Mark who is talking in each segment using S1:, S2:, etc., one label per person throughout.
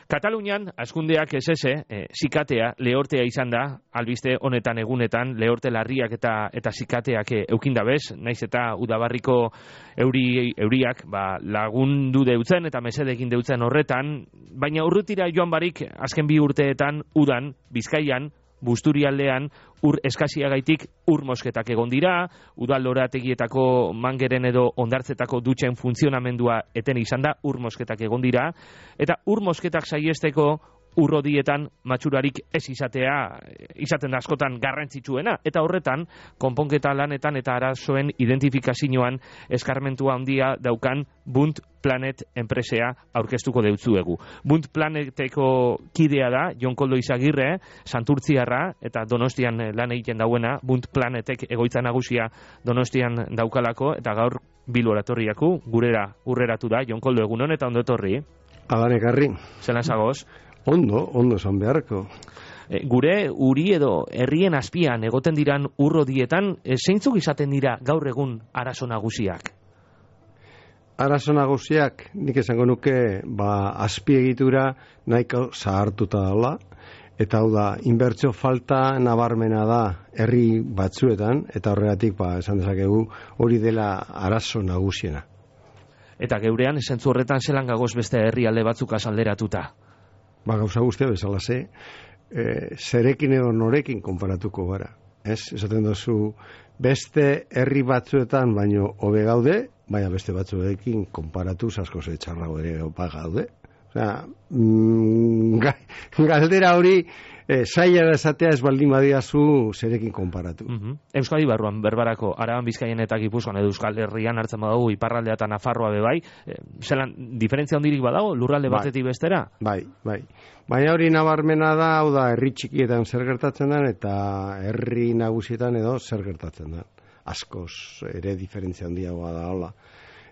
S1: Katalunian, askundeak zikatea, lehortea izan da, albiste honetan egunetan, lehorte larriak eta zikateak eukindabez, naiz eta udabarriko euriak lagundu deutzen eta mesedekin deutzen horretan, baina urrutira joan barik, azken 2 urteetan, udan, Bizkaian, Busturialdean, ur eskasiagaitik ur mosketak egon dira, udallorategietako mangeren edo ondartzetako dutxen funtzionamendua eten izan da, ur mosketak egon dira, eta ur mosketak saiesteko urrodietan matxurarik ez izaten da askotan garrantzitsuena, eta horretan, konponketa lanetan eta arazoen identifikazioan eskarmentua handia daukan Bunt Planet enpresea aurkeztuko deutzuegu. Bunt Planeteko kidea da, Jon Koldo Izagirre, Santurtziarra, eta Donostian lan egiten dauena, Bunt Planetek egoitza nagusia Donostian daukalako, eta gaur Bilboratorriaku, gurera urreratu da, Jon Koldo, egunon eta ondo etorri.
S2: Adan ekarri.
S1: Zelan zagoz?
S2: Ondo esan beharko.
S1: Gure uri edo herrien azpian egoten diran urrodietan, zeintzuk izaten dira gaur egun arazo nagusiak?
S2: Arazo nagusiak, nik esango nuke, azpiegitura nahiko zahartuta dela, eta hau da, inbertsio falta nabarmena da herri batzuetan, eta horregatik, esan dezakegu, hori dela arazo nagusiena.
S1: Eta geurean, zentzu horretan zelan gagoz beste herrialde batzuk azalderatuta?
S2: Gauza guztia bezala zerekin edo norekin konparatuko gara. Esaten dozu, beste herri batzuetan baino hobe gaude, baina beste batzuekin konparatu asko txarrago ere gaude. Galdera hori zaila da esatea ez baldin badiazu zerekin konparatu.
S1: Euskadi barruan, berbarako, Araban, Bizkaian eta Gipuzkoan edo Euskal Herrian hartzen badago, iparraldea eta Nafarroa bebai, zelan, diferentzia hondirik badago, lurralde batetik bestera?
S2: Bai. Baina hori nabarmena da, hau da, herri txikietan zer gertatzen den, eta herri nagusietan edo zer gertatzen den. Askoz ere diferentzia handiagoa da, hola.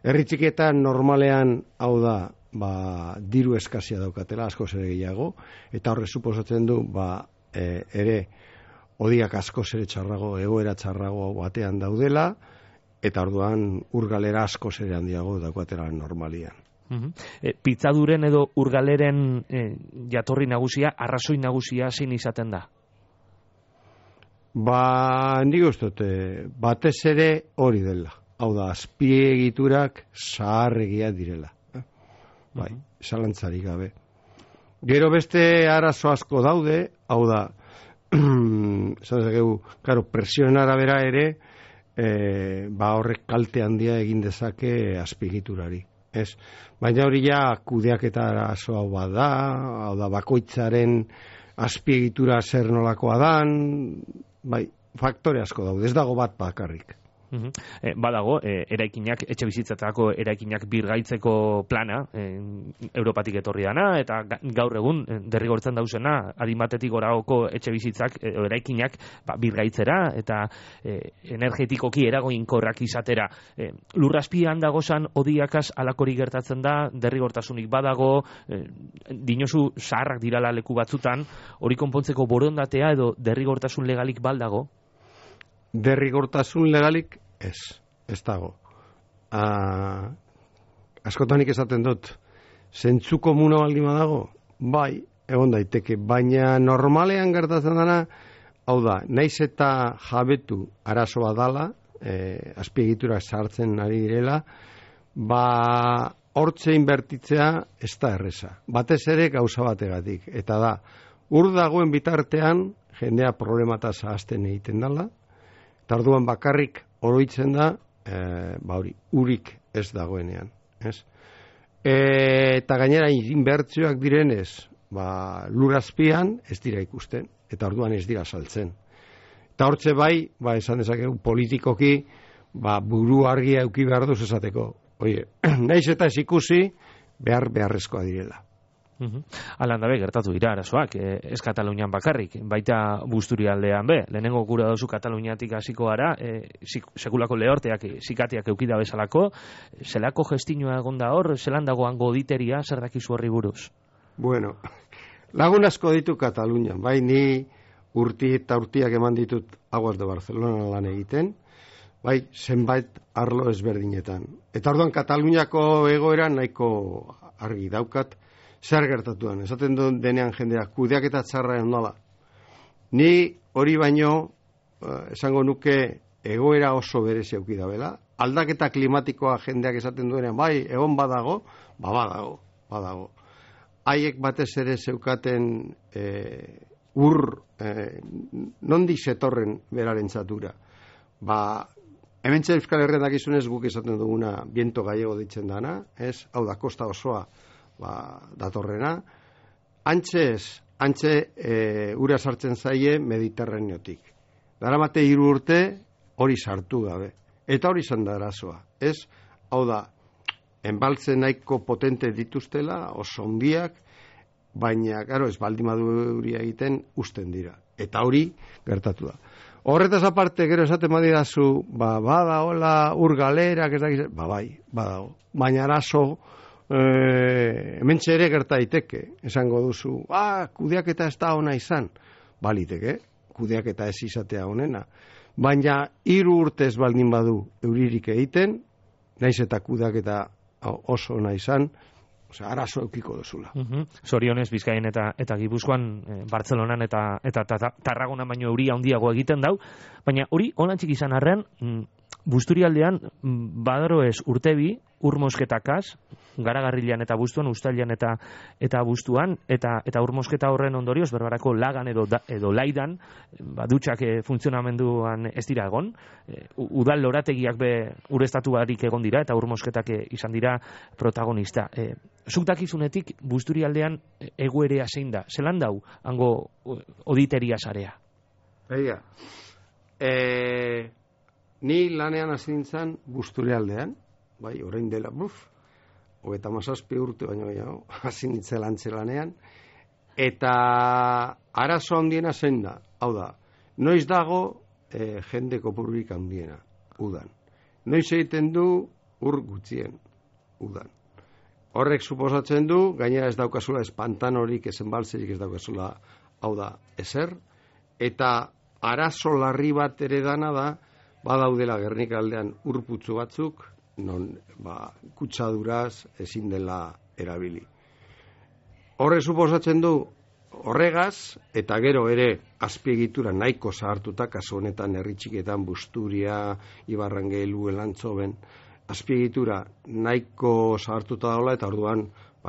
S2: Herri txikietan normalean, hau da, diru eskazia daukatela, askoz ere gehiago, eta horre suposatzen du, ere, odiak askoz ere txarrago, egoera txarrago batean daudela, eta orduan urgalera askoz ere handiago daukatela normalian.
S1: Pitzaduren edo urgaleren jatorri nagusia, arrazoi nagusia zein izaten da?
S2: Nik uste, batez ere hori dela. Hau da, azpiegiturak zaharregia direla. Zalantzarik gabe. Gero beste arazo asko daude, hau da, presioen arabera ere, horrek kalte handia egin dezake azpiegiturari. Baina hori ja kudeaketa arazo hau bada, hau da, bakoitzaren azpiegitura zer nolakoa dan, faktore asko daude, ez dago bat bakarrik.
S1: Badago, eraikinak, etxe bizitzatako eraikinak birgaitzeko plana, Europatik etorri dana, eta gaur egun derrigortzen dauzena, adimatetik goragoko etxe bizitzak, eraikinak birgaitzera, eta energetikoki eragoinkorrak izatera. Lurrazpian dagozan odiakaz alakori gertatzen da, derrigortasunik badago, dinosu zaharrak dirala leku batzutan, hori konpontzeko borondatea edo derrigortasun legalik baldago?
S2: Derrigortasun legalik ez dago. Askotanik esaten dut, zentzu komuna baldin badago? Bai, egon daiteke, baina normalean gertatzen dena, hau da, naiz eta jabetu arazo badala, azpiegiturak sartzen ari direla, hortze inbertitzea ez da erreza. Batez ere gauza bategatik, eta da, ur dagoen bitartean, jendea problemataz ahazten egiten dela, eta orduan bakarrik oroitzen da, urik ez dagoenean. Eta gainera inbertsioak direnez, lurazpian ez dira ikusten, eta orduan ez dira saltzen. Eta hortze esan dezakegu politikoki, buru argia euki behar duz esateko. Naiz eta ez ikusi, beharrezkoa direla.
S1: Alan dabe, gertatu dira arazoak, ez Katalunian bakarrik, baita Busturialdean be, lehenengo gura dozu Kataluniatik hasiko gara, sekulako lehorteak, zikateak eukida bezalako, zelako gestinua egonda hor, zelan dagoan goditeria, zer dakizu horri buruz?
S2: Bueno, lagun asko ditu Katalunian, ni urti eta urtiak eman ditut Aguas de Barcelona lan egiten, zenbait arlo ezberdinetan. Eta orduan Kataluniako egoera nahiko argi daukat, zer gertatuan, esaten duen denean jendea, kudeaketa txarra ondala. Ni hori baino, esango nuke, egoera oso berezi auki dabela. Aldaketa klimatikoa jendeak esaten duenean, bai, egon badago, badago. Haiek batez ere zeukaten nondik zetorren beraren zatura. Hementxe Euskal Herrian dakizunez guk esaten duguna viento gallego ditzen dana, ez? Hau da, kosta osoa datorrena. Antxe ura sartzen zaie Mediterraneotik. Daramate 3 urte hori sartu gabe. Eta hori izan da arazoa, ez? Hau da, enbaltze nahiko potente dituztela, oso ondiak, baina, gero, ez baldin maduria egiten usten dira. Eta hori gertatu da. Horretaz aparte, gero esaten badidazu, badagoela ur galerak, ez dakiz, bai, badago. Baina arazo, hementxe ere gerta daiteke, esango duzu, kudeaketa ez da ona izan, baliteke, kudeaketa ez izatea honena. Baina 3 urtez baldin badu euririk egiten, naiz eta kudeaketa oso ona izan, arazo eukiko duzula.
S1: Zorionez, Bizkaian eta Gipuzkoan, Bartzelonan eta Tarragonan baino euria handiago egiten dau, baina hori onantzik izan arrean, Busturialdean badaro ez urtebi, urmosketakaz, Garagarrilean eta Bustuan, Uztailean eta Bustuan, eta urmosketa horren ondorioz, berbarako lagan edo laidan, dutxak funtzionamenduan ez dira egon, udal lorategiak ureztatu barik egon dira, eta urmosketak izan dira protagonista. Zuk dakizunetik Busturialdean egoerea zein da? Zelan dau, hango oditeria sarea?
S2: Egia. Ni lanean hasi nintzen Busturialdean, bai, orain dela, 37 urte baino gehiago, hasi nintzen lanean, eta arazo handiena zein da, hau da, noiz dago jende kopururik handiena, udan. Noiz egiten du ur gutxien, udan. Horrek suposatzen du, gainera ez daukazula espantanorik, esenbaltzerik ez daukazula, hau da, ezer, eta arazo larri bat ere dana da, badaudela Gernikaldean urputzu batzuk, non kutsaduraz ezin dela erabili. Horre suposatzen du horregaz, eta gero ere azpiegitura nahiko zahartuta, kasu honetan herri txiketan Busturia, Ibarrangelu, Elantzoben, azpiegitura nahiko zahartuta daula, eta orduan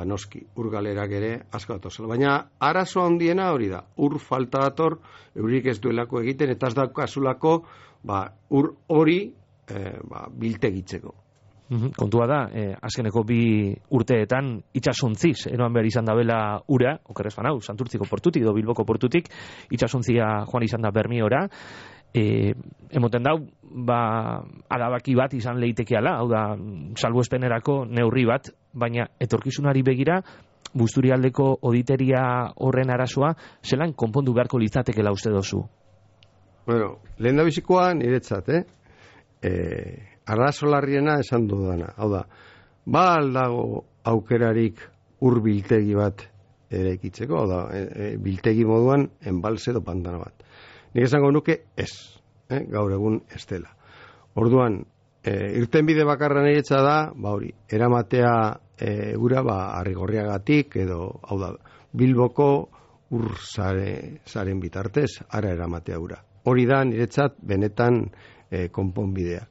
S2: noski, ur galerak ere asko datozela. Baina arazo handiena hori da, ur falta dator, eurik ez duelako egiten, eta ez daukazulako ur hori biltegitzeko.
S1: Kontua da, azkeneko 2 urteetan itxasuntziz, eroan behar izan dabela ura, okerrez banau, Santurtziko portutik edo Bilboko portutik, itxasuntzia joan izan da Bermiora, emoten dau, adabaki bat izan leitekeala, hau da, salbuespenerako neurri bat, baina etorkizunari begira, Busturialdeko oditeria horren arazoa, zelan konpondu beharko litzatekela uste dozu?
S2: Bueno, lehen da bizikoa niretzat, arazo larriena esan dudana, hau da, aldago aukerarik ur biltegi bat ere ikitzeko, hau da, biltegi moduan enbalze edo pantano bat. Nik esango nuke ez, gaur egun ez dela. Orduan, irtenbide bakarra niretza da, hori, eramatea ura, Arrigorriagatik, edo, hau da, Bilboko ur zaren bitartez, ara eramatea ura. Hori da, niretzat, benetan konponbidea.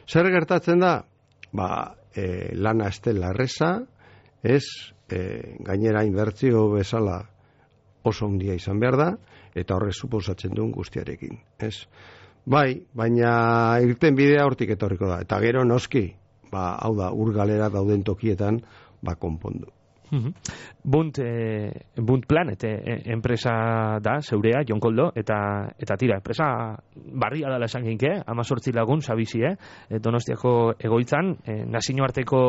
S2: Zer gertatzen da? Lana ez dela erreza, gainera inbertzio bezala oso handia izan behar da, eta horrek suposatzen duen guztiarekin. Bai, baina irten bidea hortik etorriko da. Eta gero noski, hau da, ur galera dauden tokietan, konpondu.
S1: Bunt Planet enpresa da, zeurea, Jon Koldo, eta tira, enpresa barria dala esan ginke, 18 lagun, zabizi, Donostiako egoitzan, nazioarteko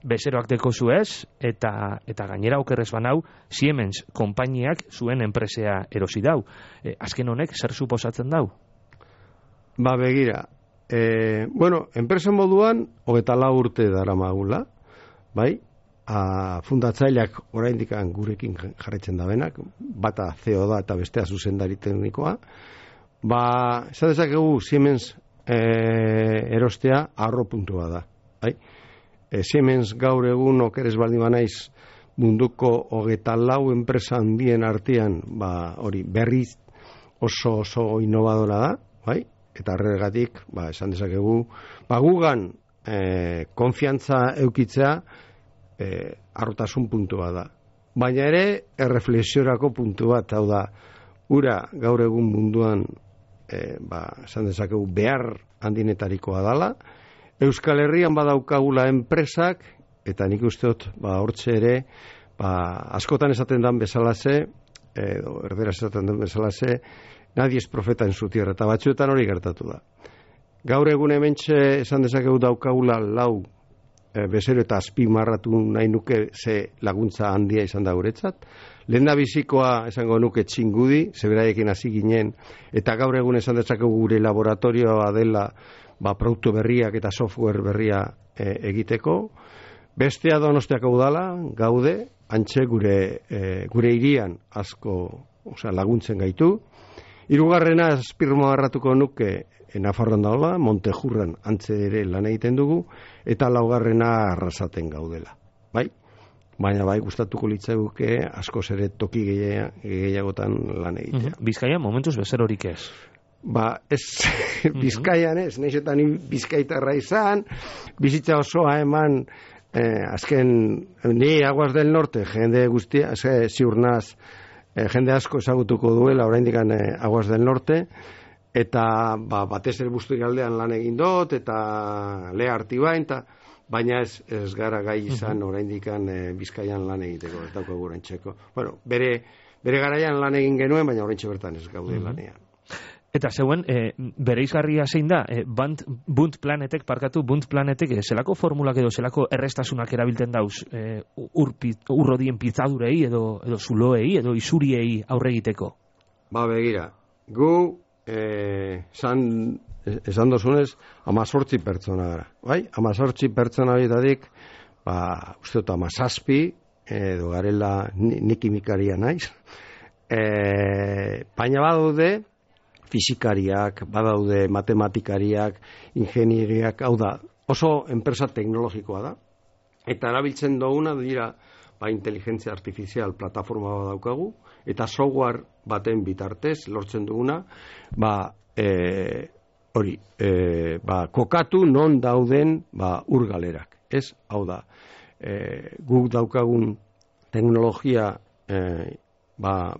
S1: bezeroak deko zuez, eta gainera okerrez banau, Siemens konpainiak zuen enpresea erosi dau. Azken honek, zer suposatzen dau?
S2: Begira, enpresa moduan, 24 urte dara magula, bai? Fundatzaileak oraindik gurekin jarraitzen da benak, bata CEO da eta bestea zuzendari teknikoa. Esan dezakegu Siemens erostea arro puntua da. Siemens gaur egun okeres baldin banaiz munduko 24 enpresa handien artean, hori berriz oso innovadora da, bai? Eta horregatik, esan dezakegu, gugan konfiantza eukitzea harrotasun puntua da. Baina ere, erreflexiorako puntu bat, hau da, ura gaur egun munduan, esan dezakegu, behar handinetarikoa dala, Euskal Herrian badaukagula enpresak, eta nik uste dut, hortxe ere, askotan esaten dan bezalaze, edo erderaz esaten dan bezalaze, nadie es profeta en su tierra, eta batzuetan hori gertatu da. Gaur egun hementxe esan dezakegu daukagula 4 bezero eta azpimarratu nahi nuke ze laguntza handia izan da guretzat. Lehendabizikoa esango nuke Txingudi, zeberaiekin hasi ginen, eta gaur egun esan dezakegu gure laboratorioa dela produktu berriak eta software berria egiteko. Bestea Donostiako udala, gaude, antxe gure hirian asko laguntzen gaitu. Hirugarrena azpimarratuko nuke Nafarroan dagoela, Montejurran antze ere lan egiten dugu, eta laugarrena Arrasaten gaudela. Bai? Baina gustatuko litzaiguke askoz ere toki gehiagotan lan egitea.
S1: Bizkaia momentuz bezerorik ez?
S2: Ez, Bizkaian ez, nahizetan bizkaitarra izan, bizitza osoa eman, azken, ni Aguas del Norte, jende guztia, ziurnaz, jende asko ezagutuko duela, oraindik Aguas del Norte, eta batez ere Busturialdean lan egin dut, eta Lea Artibain, baina ez gara gai izan oraindik Bizkaian lan egiteko, ez daukagu oraintzeko. Bueno, bere garaian lan egin genuen, baina oraintxe bertan ez gaude lanean.
S1: Eta zeuen, bereizgarria zein da, Bunt Planetek, zelako formulak edo zelako errestasunak erabilten dauz urrodien pitzadurei edo zuloei edo isuriei aurre egiteko?
S2: Begira, gu esan dozunez 18 pertsona gara, bai? 18 pertsona horietatik, uste dut 17, edo garela nik kimikaria naiz, baina badaude fisikariak, badaude matematikariak, ingenieriak, hau da, oso enpresa teknologikoa da, eta erabiltzen duguna dira inteligentzia artifizial plataforma bat daukagu, eta software baten bitartez lortzen duguna, kokatu non dauden urgalerak. Ez, hau da, guk daukagun teknologia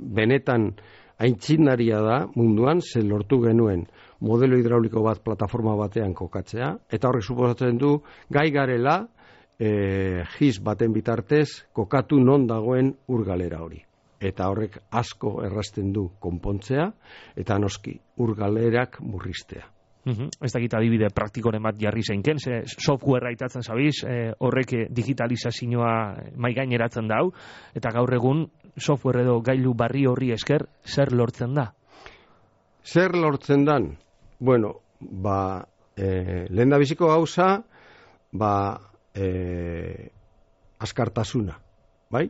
S2: benetan aitzinaria da munduan, ze lortu genuen modelo hidrauliko bat plataforma batean kokatzea, eta horrek suposatzen du gai garela GIS baten bitartez kokatu non dagoen urgalera hori. Eta horrek asko errazten du konpontzea, eta noski urgalerak murriztea.
S1: Ez dakit adibide praktikoren bat jarri zeinken, softwarea aitatzen zabiz, horrek digitalizazioa maigaineratzen dau, eta gaur egun software edo gailu barri horri esker, zer lortzen da?
S2: Zer lortzen dan? Bueno, lehendabiziko gauza, askartasuna, bai?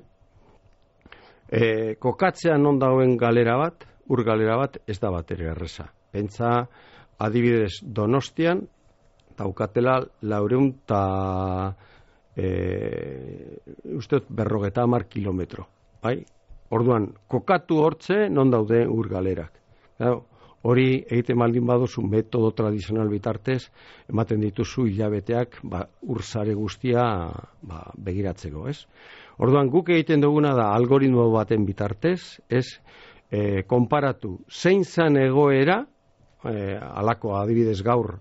S2: Kokatzea non dagoen galera bat, urgalera bat, ez da bat ere erreza. Pentsa, adibidez Donostian, daukatela 450 kilometro, bai? Orduan, kokatu hortze non daude urgalerak. Hori egiten baldin baduzu metodo tradizional bitartez, ematen dituzu hilabeteak urzare guztia begiratzeko, ez? Orduan, guk egiten duguna da algoritmo baten bitartez, konparatu zein zan egoera, alako adibidez gaur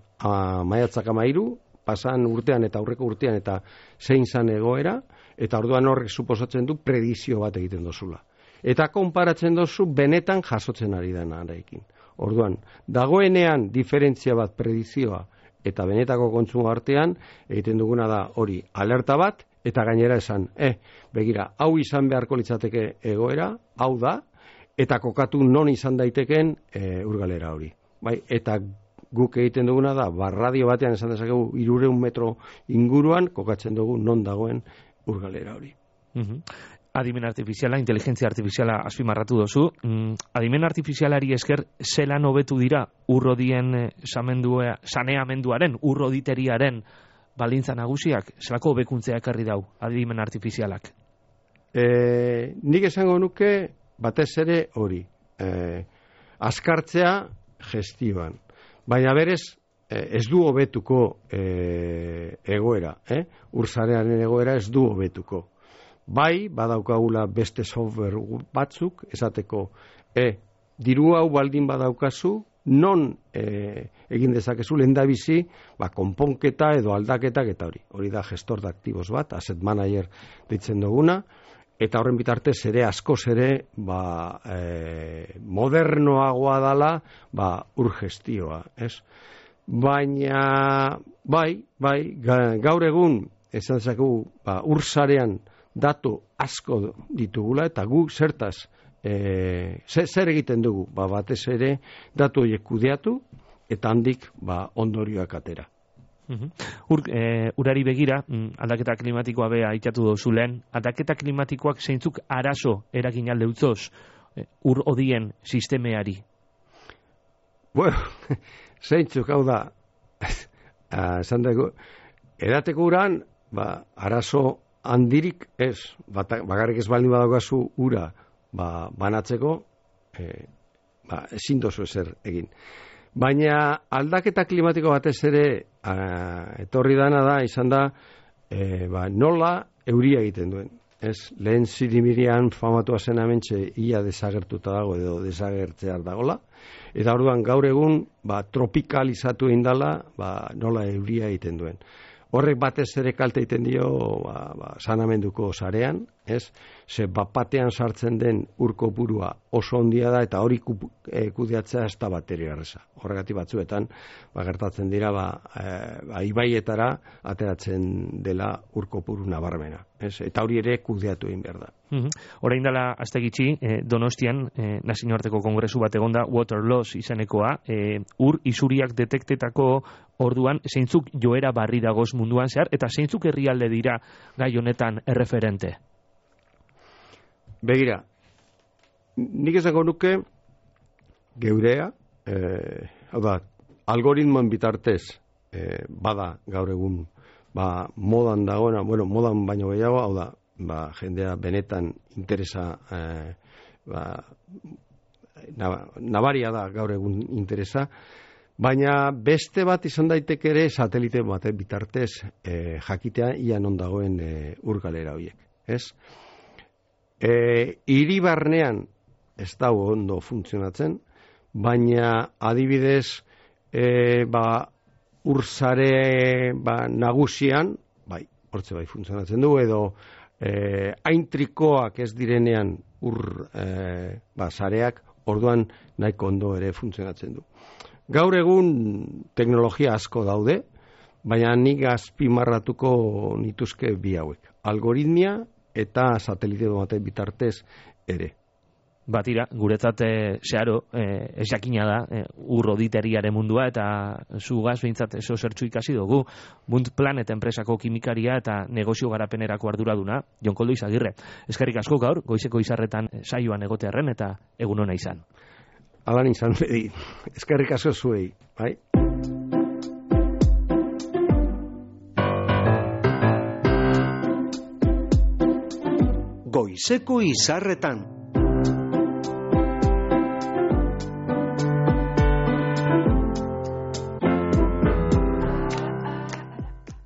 S2: maiatzak 13, pasan urtean eta aurreko urtean eta zein zan egoera, eta orduan horrek suposatzen du predizio bat egiten dozula. Eta konparatzen dozu benetan jasotzen ari denarekin. Orduan, dagoenean diferentzia bat predizioa eta benetako kontsumo artean, egiten duguna da hori alerta bat, eta gainera esan, begira, hau izan beharko litzateke egoera, hau da, eta kokatu non izan daiteken urgalera hori. Bai, eta guk egiten duguna da, radio batean esan dezakegu 300 metro inguruan, kokatzen dugu non dagoen urgalera hori.
S1: Adimen artifiziala, inteligentzia artifiziala azpimarratu dozu. Adimen artifizialari esker zelan hobetu dira urrodien saneamenduaren, urroditeriaren baldintza nagusiak? Zelako hobekuntzea ekarri dau adimen artifizialak?
S2: nik esango nuke batez ere hori, azkartzea gestioan. Baina berez, ez du hobetuko egoera, ursarearen egoera ez du hobetuko. Bai, badaukagula beste software batzuk, esateko, diru hau baldin badaukazu, non egin dezakezu lehendabizi, konponketa edo aldaketak eta hori. Hori da gestor de aktibos bat, asset manager ditzen duguna, eta horren bitartez ere askoz ere modernoagoa dala ur gestioa, ez? Baina, gaur egun, esan dezakegu, ur sarean datu asko ditugula, eta gu zertaz, zer egiten dugu, batez ere datu horiek kudeatu eta handik ondorioak atera.
S1: Urari begira, aldaketa klimatikoa bea aitatu dozu lehen, aldaketa klimatikoak zeintzuk arazo eragin alde utzoz ur odien sistemeari?
S2: Bueno, zeintzuk hau da, esan dugu, edateko uran, arazo handirik ez, bakarrik ez baldin badaukazu ura, banatzeko, ezin dozu ezer egin. Baina aldaketa klimatiko batez ere etorri dana da, izan da, nola euria egiten duen. Lehen zirimirian famatua zen amentxe ia desagertuta dago edo desagertzear dagola. Eta orduan gaur egun tropikalizatu indala nola euria egiten duen. Horrek batez ere kalte egiten dio sanamenduko sarean, ze batean sartzen den urko burua oso ondia da eta hori kudeatzea ez da bateri garreza. Horregatik batzuetan gertatzen dira ibaietara ateratzen dela urko buru nabarmena. Eta hori ere kudeatu egin behar da.
S1: Orain dela aste gitxi, Donostian nazioarteko kongresu bat egonda Water Loss izenekoa, ur isuriak detektetako orduan zeintzuk joera barri dagoz munduan zehar eta zeintzuk herrialde dira gai honetan erreferente?
S2: Begira, nik esango nuke geurea, hau da, algoritmoen bitartez bada gaur egun modan dagoena, modan baino gehiago, hau da, jendea benetan interesa nabaria da gaur egun interesa, baina beste bat izan daiteke ere satelite bat bitartez jakitea ia non dagoen urgalera horiek, ez? Hiri barnean ez dago ondo funtzionatzen, baina adibidez ursare nagusian, hortze funtzionatzen du, edo aintrikoak ez direnean sareak, orduan nahiko ondo ere funtzionatzen du. Gaur egun teknologia asko daude, baina nik azpimarratuko nituzke bi hauek. Algoritmia eta satelite baten bitartez ere.
S1: Batira, guretzat zeharo, ez jakina da, urroditeriaren mundua, eta zugaz behintzat eso zertxu ikasi dugu, Bunt Planet enpresako kimikaria eta negozio garapenerako arduraduna, Jon Koldo Izagirre. Eskerrik asko gaur, goizeko izarretan saioan egotearren eta egun ona izan.
S2: Alan izan, eskerrik asko zuei, bai?
S3: Goizeko izarretan.